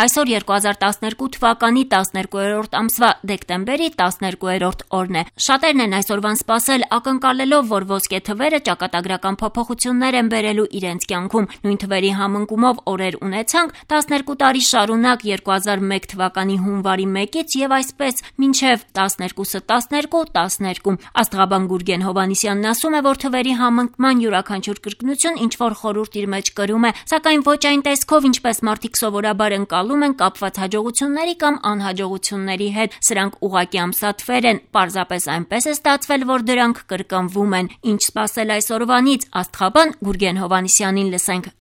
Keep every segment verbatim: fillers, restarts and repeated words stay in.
Այսօր երկու հազար տասներկու թվականի տասներկուերորդ ամսվա դեկտեմբերի տասներկուերորդ օրն է։ Շատերն են այսօրվան սպասել, ակնկալելով, որ ոսկե թվերը ճակատագրական փոփոխություններ են բերելու իրենց կյանքում։ Նույն թվերի համընկումով օրեր ունեցանք տասներկու տարի շարունակ երկու հազար մեկ թվականի հունվարի մեկից եւ այսպես մինչեւ տասներկուսը տասներկու տասներկու։ Աստղաբան Գուրգեն Հովհաննիսյանն ասում է, որ թվերի համընկման յուրաքանչյուր կրկնություն ինչ որ խորհուրդ իր մեջ կրում է, սակայն ոչ այն տեսքով, ինչպես մարդիկ սովորաբար են են կապված հաջողությունների կամ անհաջողությունների հետ, սրանք ուղղակի ամսաթվեր են, պարզապես այնպես է ստացվել, որ դրանք կրկնվում են։ Ինչ սպասել այսօրվանից, աստղաբան Գուրգեն Հովհաննիսյանին լսենք։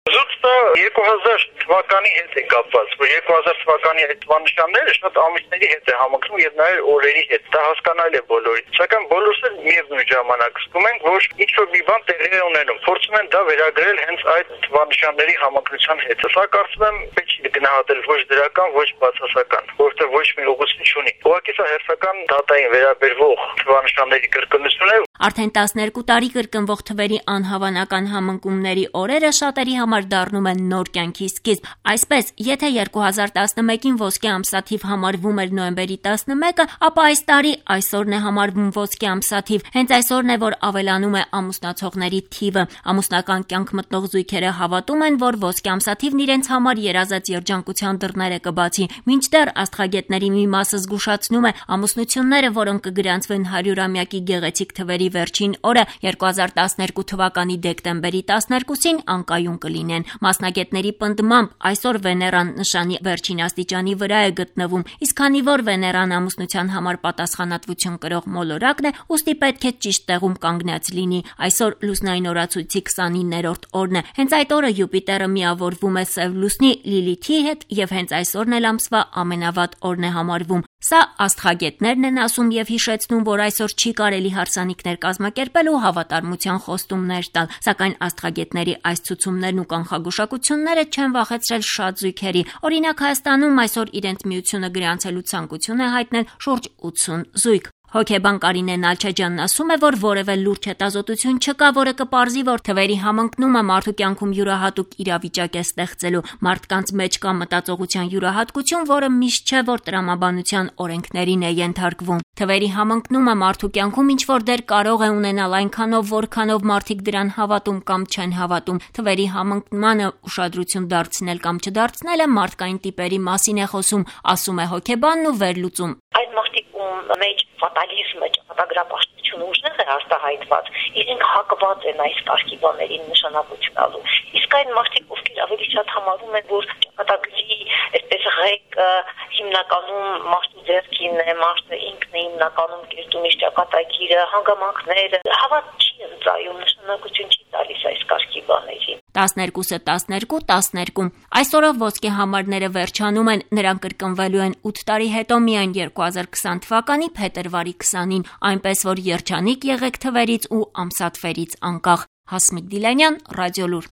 երկու հազար թվականի հետ է կապված, որ երկու հազար թվականի այդ թվանշանները շատ ամիսների հետ է համընկնում եւ նաեւ օրերի հետ։ Դա հասկանալի է բոլորին։ Սակայն բոլորս էլ միևնույն ժամանակ զգում ենք, որ ինչ-որ մի բան տեղի է ունենում։ Փորձում են դա վերագրել հենց այդ թվանշանների համընկնության հետ։ Սա կարծում եմ պետք է գնահատել ոչ դրական, ոչ բացասական, որովհետեւ ոչ մի ուղղություն չունի։ Ուղղակի սա հերթական դատային վերաբերվող թվանշանների կրկնություն է։ Արդեն տասներկու տարի կրկնվող թվերի անհավանական համընկումների օրերը շատերի համար դառնում են նոր կյանքի սկիզբ։ Այսպես, եթե երկու հազար տասնմեկին ոսկե ամսաթիվ համարվում էր նոյեմբերի տասնմեկը, ապա այս տարի այսօրն է համարվում ոսկե ամսաթիվ։ Հենց այսօրն է, որ ավելանում է ամուսնացողների թիվը։ Ամուսնական կյանք մտնող զույգերը հավատում են, որ ոսկե ամսաթիվն իրենց համար երազած երջանկության դռները կբացի։ Մինչդեռ աստղագետների մի մասը զգուշացնում է, ամուսնությունները, որոնք կգրանցվեն հարյուրամյակի գեղեցիկ թվերի վերջին օրը երկու հազար տասներկու թվականի դեկտեմբերի տասներկուսին անկայուն կլինեն։ Մասնագետների պնդմամբ այսօր Վեներան նշանի վերջին աստիճանի վրա է գտնվում, իսկ քանի որ Վեներան ամուսնության համար պատասխանատվություն կրող մոլորակն է, ուստի պետք է ճիշտ տեղում կանգնած լինի։ Այսօր լուսնային օրացույցի քսանիններորդ օրն է։ Հենց այդ օրը Յուպիտերը միավորվում է Սև լուսնի Լիլիթի հետ եւ հենց այսօրն էլ ամսվա ամենավատ օրն է համարվում։ Սա աստղագետներն են ասում եւ հիշեցնում, որ այսօր չի կարելի հարսանիքներ կազմակերպել ու հավատարմության խոստումներ տալ, սակայն աստղագետների այս ցուցումներն ու կանխագուշակությունները չեն վախեցրել շատ զույգերի։ Օրինակ Հայաստանում այսօր իրենց միությունը գրանցելու ցանկություն է հայտնել շուրջ ութսուն զույգ։ Հոգեբան Կարինե Նալչաջյանն ասում է, որ որևէ լուրջ հետազոտություն չկա, որը կպարզի, որ թվերի համընկնումը մարդու կյանքում յուրահատուկ իրավիճակ է ստեղծելու։ Մարդկանց մեջ կա մտածողության յուրահատկություն, որը միշտ չէ, որ տրամաբանության օրենքներին է ենթարկվում։ Թվերի համընկնումը մարդու կյանքում ինչ-որ դեր կարող է ունենալ այնքանով, որքանով մարդիկ դրան հավատում կամ չեն հավատում։ Թվերի համընկնմանը ուշադրություն դարձնել կամ չդարձնելը մարդկային տիպերի մասին է խոսում, ասում է հոգեբանն ու վերլուծում։ Այդ մարդիկ մեջ ֆատալիզմը, ճակատագրապաշտությունը ուժեղ է արտահայտված, իրենք հակված են այս կարգի բաներին նշանակություն տալու։ Իսկ այն մարդիկ, ովքեր ավելի շատ համարում են, որ ճակատագրի այսպես ղեկը հիմնականում մարդու ձեռքին է, մարդը ինքն է հիմնականում կերտում իր ճակատագիրը, հանգամանքները, հավատ չի ընծայում, նշանակություն չի տալիս այս կարգի բաներին։ տասներկուսը տասներկու տասներկու Այսօրով ոսկե համարները վերջանում են, նրանք կրկնվելու են ութ տարի հետո միայն երկու հազար քսան թվականի փետրվարի քսանին, այնպես որ երջանիկ եղեք թվերից ու ամսաթվերից անկախ։ Հասմիկ Դիլանյան, Ռադիոլուր։